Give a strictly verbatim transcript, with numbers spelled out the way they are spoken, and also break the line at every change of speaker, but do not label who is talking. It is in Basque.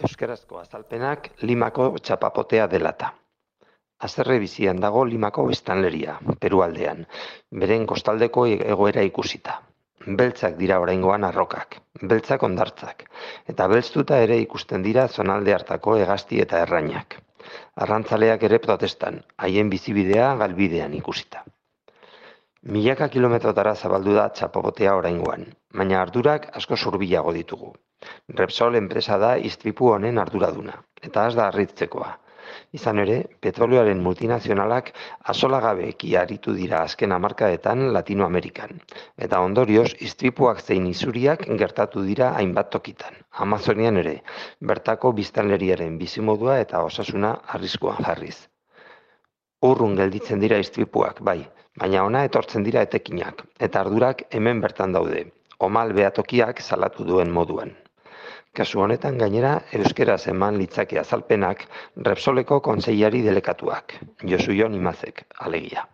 Euskarazko azalpenak Limako txapapotea delata. Haserre bizian dago Limako biztanleria, Peru aldean, beren kostaldeko egoera ikusita. Beltzak dira oraingoan arrokak, beltzak hondartzak, eta belztuta ere ikusten dira zonalde hartako hegazti eta errainak. Arrantzaleak ere protestan, haien bizibidea galbidean ikusita. Milaka kilometrotara zabaldu da txapapotea oraingoan, baina ardurak asko hurbilago ditugu. Repsol enpresa da istripu honen arduraduna, eta ez da harritzekoa. Izan ere, petrolioaren multinazionalak asolagabeki aritu dira azken hamarkadetan Latinoamerikan, eta ondorioz istripuak zein isuriak gertatu dira hainbat tokitan. Amazonian ere, bertako biztanleriaren bizimodua eta osasuna arriskuan jarriz. Urrun gelditzen dira istripuak, bai, baina ona etortzen dira etekinak, eta ardurak hemen bertan daude, omal behatokiak salatu duen moduan. Kasu honetan gainera euskeraz eman litzake azalpenak Repsoleko kontseilari delekatuak, Josu Jon Imazek, alegia.